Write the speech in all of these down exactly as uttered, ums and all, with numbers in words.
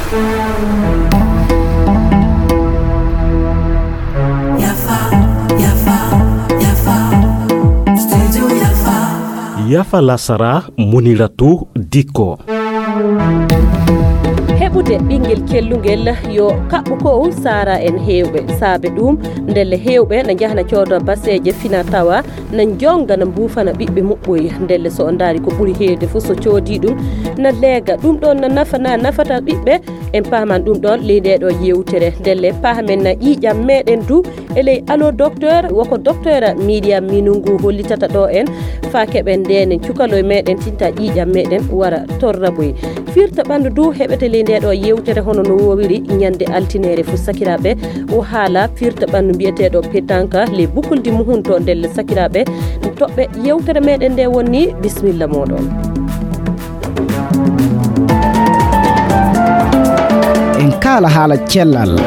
Yafa, yafa, yafa. Studio Yafa. Yafa lasara, Muniratu Dikko. Heɓude ɓinngel kellungel yo kaɓɓu ko saara en heewɓe. Saabe ɗum, ndelle heewɓe na njahna coodo baseeje fina tawa na njonga na mbuufana ɓiɓɓe muɓɓoy. Ndelle so o ndaari ko ɓuri heewde fof so coodi ɗum na leega. Ɗum ɗon na nafa na nafata ɓiɓɓe. En paaman ɗum ɗon ley nde ɗo yewtere. Ndelle paamen na ƴiiƴam meɗen du e ley Allo Docteur, woko Docteur Miriam Minungu hollitata ɗo en, faa keɓen ndenen cukaloy meɗen tinta ƴiiƴam meɗen wara torra boy. Firta ɓandu du heɓete ley nde ɗo yewtere hono no wowiri ñande altineere fu sakiraaɓe. O haala firta ɓandu mbiyeteeɗo pétanque ley bukuldi muhun to ndelle sakiraaɓe. Toɓɓe yewtere meɗen nde wonni, bismilla moɗon. En kaala haala cellal.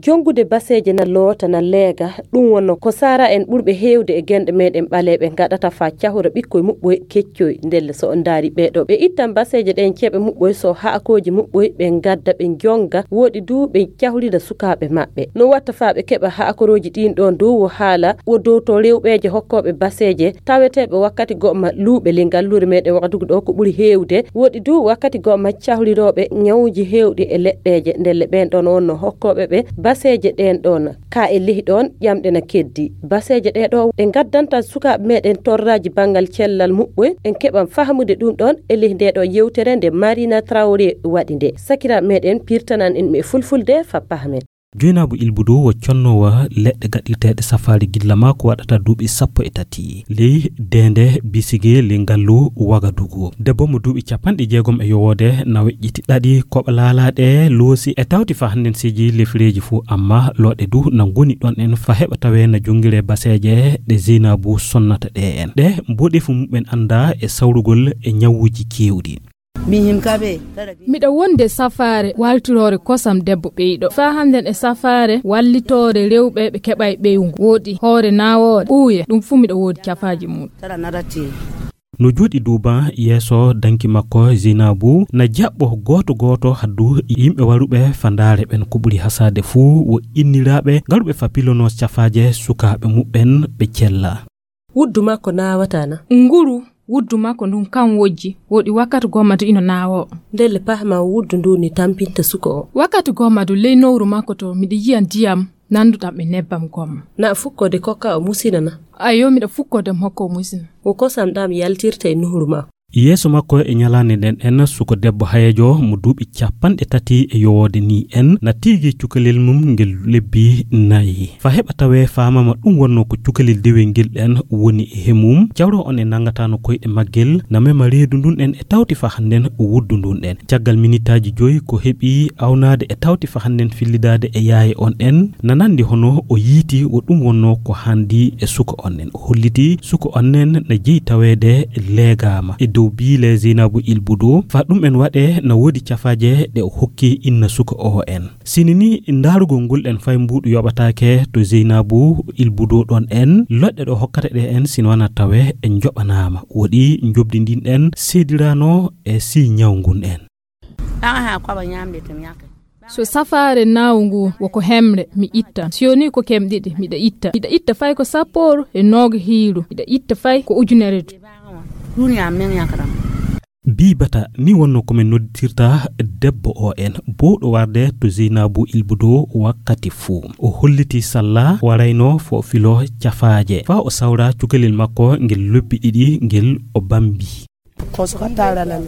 Jongude baseeje na loota na leega, ɗum wonno ko saara en ɓurɓe heewde e genɗe meɗen ɓaleeɓe ngaɗata faa cahora ɓikkoy muɓɓoy keccoy. Ndelle so on ndaari ɓeeɗo, ɓe ittan baseeje ɗen ceeɓe muɓɓoy so haakooji muɓɓoy ɓe ngadda ɓe jonga, woɗi du ɓe cahorida sukaaɓe maɓɓe. No watta faa ɓe keɓa haakorooji ɗin ɗon du wo haala wo dow to rewɓeeje hokkooɓe baseeje taweteeɓe wakkati go'o ma luuɓe ley ngalluure meɗen Wagadugu ɗo ko ɓuri heewde. Woɗi du wakkati go'o ma cahrirooɓe ñawuuji heewɗi e leɗɗeeje. Ndelle ɓen ɗon wonno hokkooɓe ɓe baseeje ɗen ɗon. Ka e lehi ɗon ƴamɗe na keddi. Baseeje ɗe ɗo ɗe ngaddanta sukaaɓe meɗen torraaji banngal cellal muɓɓoy. En keɓan fahmude ɗum ɗon e lehi nde ɗo yewtere nde Marina Traoré waɗi nde. Sakiraaɓe meɗen pirtanan en e fulfulde fa pahmen. Joynaabu Ilbudu wo connoowa leɗɗe gaɗirteeɗe safaari gilla maa ko waɗata duuɓi sappo e tati ley deende bisige ley ngallu Wagadugu. Debbo mo duuɓi capanɗe jeegom e yowoode na weƴƴiti ɗaɗi koɓa laalaaɗe loosi e tawti fa hannden seeji lefireeji fuu, amma looɗe du na ngoni ɗon en fa heɓa tawee na jongiree baseeje ɗe Zeynaabu sonnata ɗe en. Ɗe mboɗeefu muɓɓen anndaa e sawrugol e ñawuuji keewɗi. Miɗa wonde safaare waltiroore kosam debbo ɓeyɗo. Faa hannden e safaare wallitoore rewɓe ɓe keɓay ɓeyngu. Woodi hoore naawooɗe, ɓuuye, ɗum fuu miɗa woodi cafaaji mum. No jooɗi duuban yeeso danki makko Zeynaabu, na jaɓɓo gooto gooto haddu yimɓe waruɓe fa ndaare ɓen. Ko ɓuri hasaade fuu wo inniraaɓe garuɓe fa pilonoo cafaaje sukaaɓe muɓɓen ɓe cella. Wuddu makko naawataa na? Nguru wuddu makko ndun kan wojji, woɗi wakkati gomma du ino naawoo. Ndelle pahma wuddu ndu ni tampinta suko o. Wakkati gomma du ley nowru makko to miɗa yi'a ndiyam nanduɗam e nebbam gomma. Na fukkode kokka o musina na? Ayo, miɗa fukkode mo hokka o musina. Wo kosam ɗam yaltirta e nuhuru makko. Yeeso makko e ñalaande nden en suko debbo hayeejo mo duuɓi capanɗe tati e yowoode ni en na tiigi cukalel mum ngel lebbi nayi. Fa heɓa tawee faamama ɗum wonno ko cukalel dewel ngel ɗen woni e he mum. Cawro on e nangatano koyɗe maggel na mema reedu ndun en e tawti fa hannden wuddu ndun en. Caggal minitaaji joyi ko heɓi awnaade e tawti fa hannden fillidaade e yaaye on en na nandi hono o yiiti wo ɗum wonno ko handi e suka on en. O holliti suka on en na jeyi taweede leegaama e dow biile Zeynabu Ilbudo. Fa ɗum en waɗe na woodi cafaaje ɗe o hokki inna suka o en. Sini ni ndaarugol ngol ɗen fay mbuuɗu yoɓataake to Zeynabu Ilbudo ɗon en. Loɗɗe ɗo hokkata ɗe en sino wana tawe en njoɓanaama. Woɗi njobdi ndin ɗen seedirano e si ñaw ngun en. Aha, ko aba ñamde to mi yaka. So safaare naawu ngu woko hemre, mi itta. Si yoni ko kem ɗiɗi, miɗa itta. Miɗa itta fay ko sapporu e nooga hiiru. Miɗa itta fay ko ujunere du. Duniya men yakaram. Bibata ni wonno ko min noddirta debbo o en. Bowɗo warde to Zeynabu Ilbudo wakkati fuu. O holliti salla warayno fo filo cafaaje. Fa o sawra cukalel makko ngel lobbi ɗiɗi ngel o bambi. Ko suka taalana mi.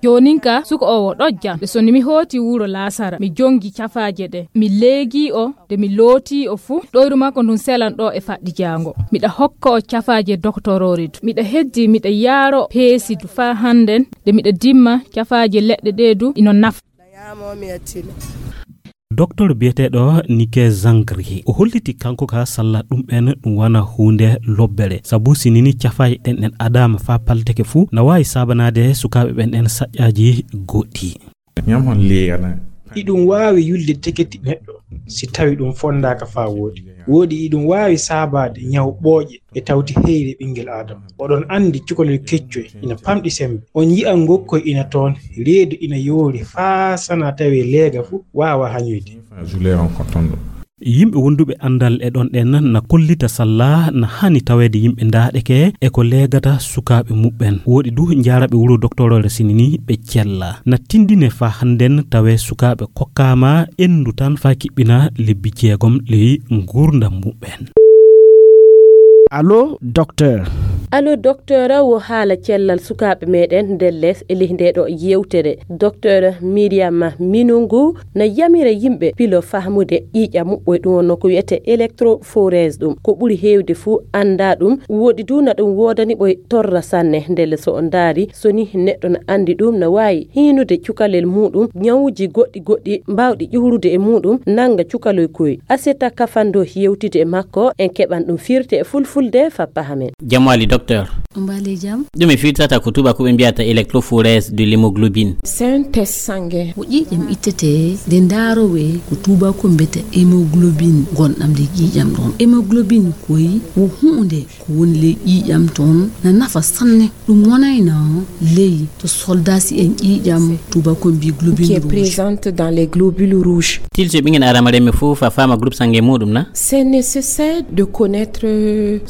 Joonin ka, suka o wo ɗojjan. Ɓe soni mi hooti wuro Laasara. Mi jongi cafaaje ɗe. Mi leegi o, de mi looti o fu. Ɗoyru makko ndun selan ɗo e faɗɗi jaango. Miɗa hokka o cafaaje doktoroore du. Miɗa heddi, miɗa yaaro peesi du faa hannden. De miɗa dimma cafaaje leɗɗe ɗe du ino nafa. Doktor biyeteeɗo Nike Zangri, o holliti kanko ka salla ɗum en ɗum wana huunde lobbere. Sabu si nini cafaaje ɗen ɗen adaama faa palteke fuu, na waawi saabanaade sukaaɓe ɓen ɗen saƴƴaaji goɗɗi. Ñam hon liyana. Iɗum waawi yulde teketi neɗɗo si tawi ɗum fondaaka faa wooɗi. Woɗi iɗum waawi saabaade ñaw ɓooƴe e tawti heyre ɓinngel Aadama. Oɗon anndi cukalel keccoy ina pamɗi semmbe. On yi'a ngokkoy ina toon, reedu ina yoori faa sanaa tawee leega fuu waawaa hañoyde. Yimɓe wonduɓe anndal e ɗon ɗen na kollita salla na haani taweede yimɓe ndaaɗeke e ko leegata sukaaɓe muɓɓen. Woɗi du njaaraɓe wuro doktorore sinini ɓe cella. Na tinndine faa hannden tawee sukaaɓe kokkaama enndu tan faa kiɓɓina lebbi jeegom ley nguurndam muɓɓen. Allo, docteur. Allo, docteur, wo haala cellal sukaaɓe meɗen ndelle e ley nde ɗo yewtere. Docteur Miriam Minungu na yamira yimɓe pilo fahmude ƴiiƴam muɓɓoy, ɗum wonno ko wiyete électrophorèse. Ɗum ko ɓuri heewde fuu annda ɗum. Woɗi du na ɗum woodani ɓoy torra sanne. Ndelle so on ndaari, so ni neɗɗo na anndi ɗum, na waawi hiinude cukalel muɗum, ñawuji goɗɗi goɗɗi mbawɗi ƴuhrude e muɗum, nanga cukaloy koy. Aseta Kafando yewtide e makko, en keɓan ɗum firte e fulfulde fa pahamen. Jam waali, docteur. Mbaali jam. Ɗum e firtata ko tubakuɓe mbiyata électrophorèse de l'hémoglobine. C'est un test sanguin. Ko ƴiiƴam ittete nde ndaarowee ko tubaku mbiyata hémoglobine gonɗam nde ƴiiƴam ɗon. Hémoglobine koy wo huunde ko woni ley ƴiiƴam ton, na nafa sanne. Ɗum wonayno ley to soldaasi en ƴiiƴam tubaku mbi globine rouge. Qui est présente dans les globules rouges. Tilsi ɓingen adama remme fof fa fama groupe sange muɗum na? C'est nécessaire de connaître.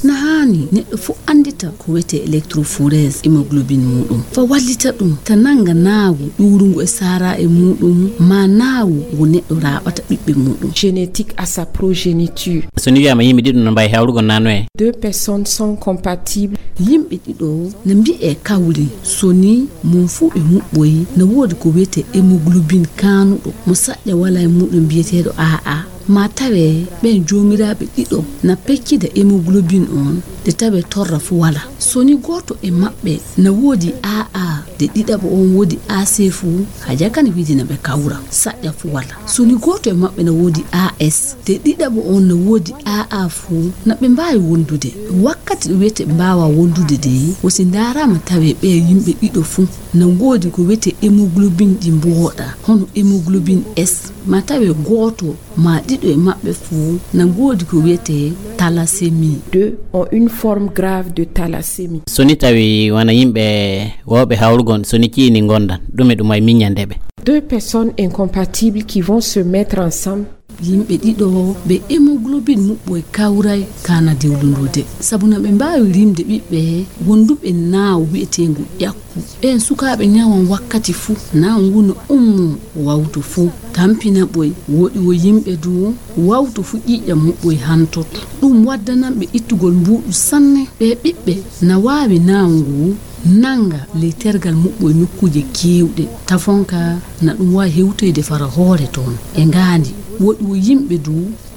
Na haani neɗɗo fof anndita ko wiyete électrophorèse hémoglobine muɗum, fa wallita ɗum ta nanga naawu ɗuurungu e saara e muɗum, ma naawu ngu neɗɗo raaɓata ɓiɓɓe muɗum. Génétique à sa progéniture. So ni wiyama yimɓe ɗiɗo no mbawi hawrugol na noye? Deux personnes sont compatibles. Yimɓe ɗiɗo na mbi'e kawri so ni mum fuu ɓe muɓɓoyi, na woodi ko wiyete hémoglobine kaanuɗo mo saƴƴa wala e muɗum mbiyeteeɗo A A. Ma tawee ɓeen joomiraaɓe ɗiɗo na peccida hémoglobine on, de tawee torra fuu wala. So ni gooto e maɓɓe na woodi A A, de ɗiɗaɓo on woodi A C fuu, haja kan wiide na ɓe kawra, saƴƴa fuu wala. So ni gooto e maɓɓe na woodi A S, de ɗiɗaɓo on na woodi A A fuu, na ɓe mbaawi wondude. Wakkati ɗo wiyete ɓe mbaawaa wondude de, wo si ndaaraama tawee ɓee yimɓe ɗiɗo fuu na ngoodi ko wiyete hémoglobine ɗi mbooɗaa, hono hémoglobine S, ma tawee gooto ma ɗiɗo e maɓɓe fuu na ngoodi ko wiyete thalassémie. Deux ont une forme grave de thalassémie. So ni tawi wona yimɓe wooɓe hawrugol, so ni ciini ngondan, ɗume ɗum wawi miññande ɓe? Deux personnes incompatibles qui vont se mettre ensemble. Yimɓe ɗiɗo ɓe hémoglobine muɓɓoy kawray kana dewlundude, sabu na ɓe mbaawi rimde ɓiɓɓe wonduɓe naawu wiyeteengu ƴakku. Ɓeen sukaaɓe ñawan wakkati fuu, naawu ngu no ummoo wawto fuu, tampina ɓoy. Woɗi wo yimɓe du wawto fuu ƴiiƴam muɓɓoy hantoto. Ɗum waddanan ɓe ittugol mbuuɗu sanne. Ɓee ɓiɓɓe na waawi naawu ngu nannga ley tergal muɓɓoy nokkuuje keewɗe. Tafonka na ɗum waawi hewtoyde fara hoore toon e ngaandi. Woɗi wo yimɓe du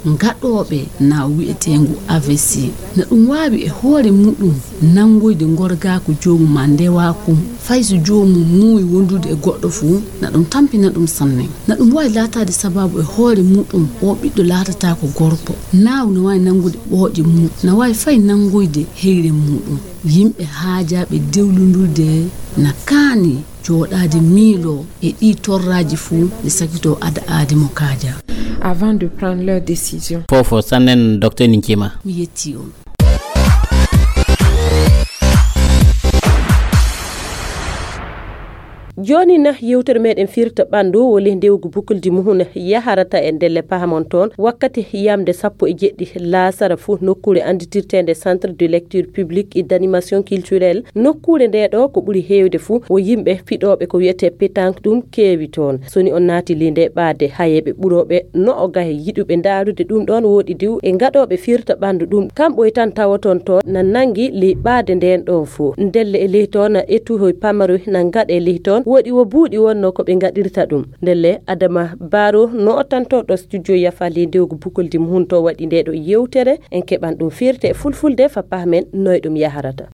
ngaɗooɓe naawu wiyeteengu A V C. Na ɗum waawi e hoore muɗum nanngoyde ngorgaaku joomum maa ndewaaku, fay so joomum muuyi wondude e goɗɗo fuu, na ɗum tampina ɗum sanne. Na ɗum waawi laataade sabaabu e hoore muɗum oo ɓiɗɗo laatataako gorko. Naawu na waawi nanngude ɓooƴe mum, na waawi fay nanngoyde heyre muɗum. Yimɓe haajaaɓe dewlundurde na kaani jooɗaade miiloo e ɗii torraaji fuu, ɓe sakitoo ada aadi mo kaaja. Avant de prendre leur décision. Fofo sannen docteur Ninkima. Mi yettii on. Jooni na yewtere meɗen firta ɓanndu woni ndewgu bukuldi muhun yaharata e ndelle pahamon toon wakkati yamde sappo e jeɗɗi laasara fuu nokkuure annditirteende Centre de lecture publique et d'animation culturelle. Nokkuure nde ɗo ko ɓuri heewde fuu wo yimɓe fiɗooɓe ko wiyetee pétanque ɗum keewi toon. So ni on naati ley nde ɓaade hayeeɓe ɓurooɓe no o gahe yiɗuɓe ndaarude ɗum ɗoon woɗi diw e ngaɗooɓe firta ɓanndu ɗum kamɓoy tan tawoton toon na nanngi ley ɓaade ndeen ɗoon fuu. Ndelle e ley toon ettuhoy pamaroy na ngaɗe ley toon woɗi wo buuɗi wonno ko ɓe ngaɗirta ɗum. Ndelle Adama Baro no o tantoɗo studio yafa ley ndewgu bukoldi muhun to waɗi nde ɗo yewtere en keɓan ɗum firte e fulfulde fa pahmen noy ɗum yaharata.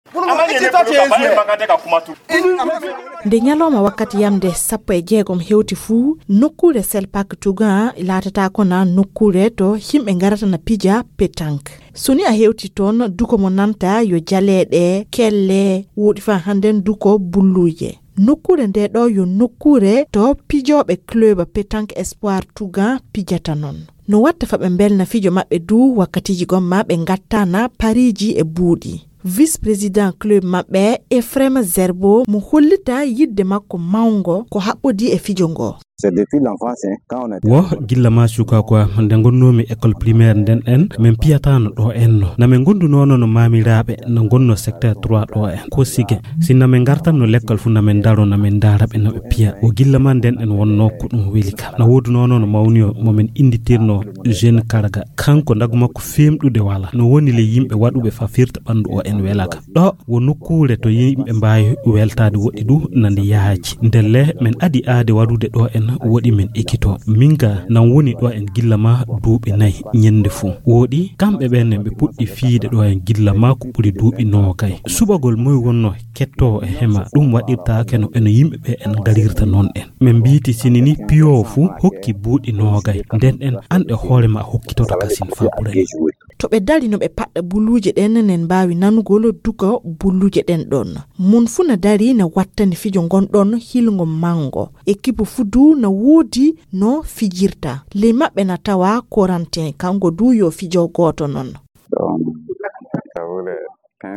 Nde ñalawma wakkati yamde sappo e jeegom hewti fuu, nokkuure Selpak Tugan laatata kona nokkuure to yimɓe ngarata na pija pétanque. So ni a hewti toon, duko mo nanta yo jaleeɗe, kelle, woɗi fa hannden duko bulluuje. Nokkuure nde ɗo yo nokkuure to pijooɓe club pétanque Espoir Tugan pijata noon. No watta fa ɓe mbelna fijo maɓɓe du wakkatiiji gomma ɓe ngattana pariiji e buuɗi. Vice-président club maɓɓe, Ephraim Zerbo, mo hollita yidde makko mawngo ko haɓɓodi e fijo ngo. Wo gilla ma sukaku am, nde ngonnoomi école primaire nden en, min piyataano ɗo en no. Na min ngondunoono no maamiraaɓe, no ngonno secteur trois ɗo en, ko sige. Si na min ngartanno lekkol fu, na min ndaro, na min ndaara ɓe no ɓe piya. Wo gilla ma nden en wonno ko ɗum weli kam. Na woodunoono no mawniyo mo min innditirno Jeune Karga. Kanko ndagu makko femɗude wala. No woni le yimɓe waɗuɓe fa firta ɓanndu o en wela kam. Ɗo wo nokkuure to yimɓe mbaawi weltaade woɗɗi du na nde yaaji. Ndelle min adi aade waɗude ɗo en woɗi min ekito. Min ga nan woni ɗo en gilla ma duuɓi nayi ñennde fuu. Woɗi kamɓe ɓen ɓe puɗɗi fiide ɗo en gilla ma ko ɓuri duuɓi noogay. Suɓagol moy wonno kettoowo e hema, ɗum waɗirtaake no eno yimɓe ɓe en ngarirta non en. Min mbiiti sinini piyo fuu hokki buuɗi noogay. Nden en an e hoore ma hokkitoto kasin fa ɓuray. To ɓe dari no ɓe paɗɗa buluuje ɗen, nen mbaawi nanugol duka buluuje ɗen ɗon. Mun fu na dari na wattani fijo ngon ɗon hilngo mango. Ekipu fu du na woodi no fijirta. Ley maɓɓe na tawa Corentin, kanko du yo fijo gooto non.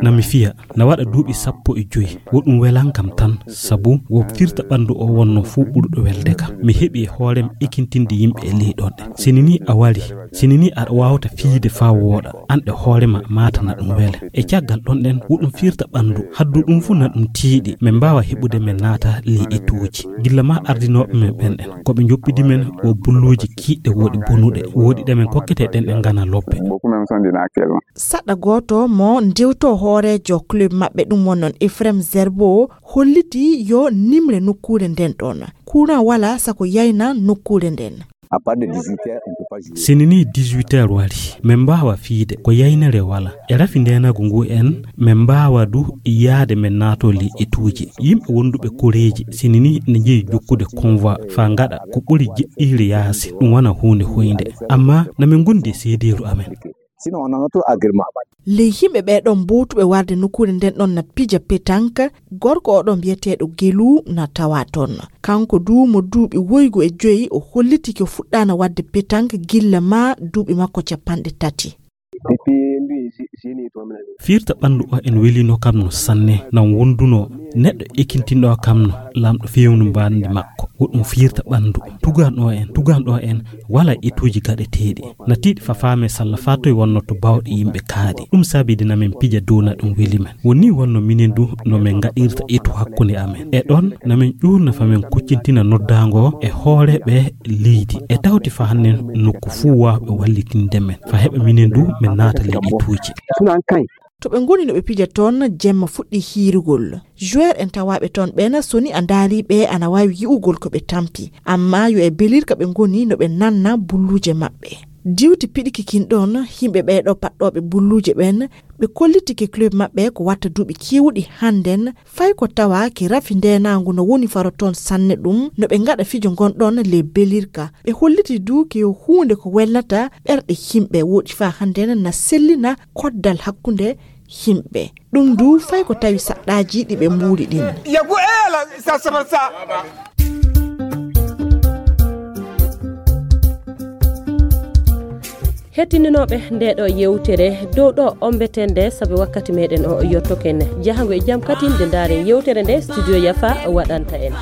Na mi fiya, na waɗa duuɓi sappo e joyi. Wo ɗum welan kam tan, sabu wo firta ɓanndu o wonno fuu ɓurɗo welde kam. Mi heɓi e hoorem ekintinde yimɓe e ley ɗon ɗen. Sini ni a wari, sini ni aɗa waawta fiyde faa wooɗa, an e hoore ma maata na ɗum wele. E caggal ɗon ɗen, wo ɗum firta ɓanndu, haddu ɗum fuu na ɗum tiiɗi, min mbaawa heɓude min naata ley etuuji. Gilla ma ardinooɓe men ɓen ɗen, ko ɓe njoppidi men wo bulluuji kiiɗɗe woɗi bonuɗe, woɗi ɗe min kokkete ɗen ɗe ngana lobbe. Saɗa gooto mo ndewto hooreejo club maɓɓe, ɗum won non Ephraim Zerbo, holliti yo nimre nokkuure nden ɗon. Courant wala sako yayna nokkuure nden. Sini ni dix-huit heures wari, min mbaawa fiide ko yaynere wala. E rafi ndeenagu ngu en, min mbaawa du yaade min naato ley etuuji. Yimɓe wonduɓe koreeji, sini ni ne njeyi jokkude convoi faa ngaɗa ko ɓuri jiɗɗiire yaasi, ɗum wona huunde hoynde. Amma na min ngondi e seedeeru amen. Ley yimɓe ɓee ɗon mbowtuɓe warde nokkuure nden ɗon na pija pétanque, gorko o ɗon mbiyeteeɗo Gelu na tawa ton. Kanko du mo duuɓi woygu e joyi, o holliti ko fuɗɗaana waɗde pétanque gilla ma duuɓi makko capanɗe tati. Firta ɓanndu o en welino kam no sanne, nan wonduno neɗɗo ekintinɗo kam no Laamɗo fewnu mbaandi makko. Wo ɗum firta ɓanndu. Tuganɗo en, tuganɗo en wala etuuji gaɗeteeɗi. Na tiiɗi fa faame salla fa toye wonno to bawɗe yimɓe kaaɗi. Ɗum saabidi na min pija dow na ɗum weli men. Woni wonno minen du no min ngaɗirta etu hakkunde amen. E ɗon na min ƴuurna fa min kuccintina noddaango e hooreeɓe leydi. E tawti fa hannden nokku fuu waawɓe wallitinde men. Fa heɓa minen du min naata ley etuuji. To ɓe ngoni no ɓe pija toon, jemma fuɗɗi hiirugol. Joueur en tawaaɓe toon ɓeen, so ni a ndaarii ɓe, ana waawi yi'ugol ko ɓe tampi. Amma yo e belirka ɓe ngoni no ɓe nanna bulluuje maɓɓe. Diwti piɗiki kin ɗoon, yimɓe ɓee ɗoo paɗɗooɓe bulluuje ɓeen, ɓe kollitike club maɓɓe ko watta duuɓi keewuɗi hannden, fay ko tawa ki rafi ndeenaangu no woni faro toon sanne ɗum, no ɓe ngaɗa fijo ngon ɗoon ley belirka. Ɓe holliti du ki yo huunde ko welnata ɓerɗe yimɓe, woɗi faa hannden na sellina koddal hakkunde yimɓe. Ɗum du fay ko tawi saɗɗaaji ɗi ɓe mbuuli ɗin. Hettininooɓe nde ɗo yewtere, dow ɗo ombeten nde, sabu wakkati meɗen o yottoken. Jahango e jam katin nde ndaaren yewtere nde studio Yafa waɗanta en.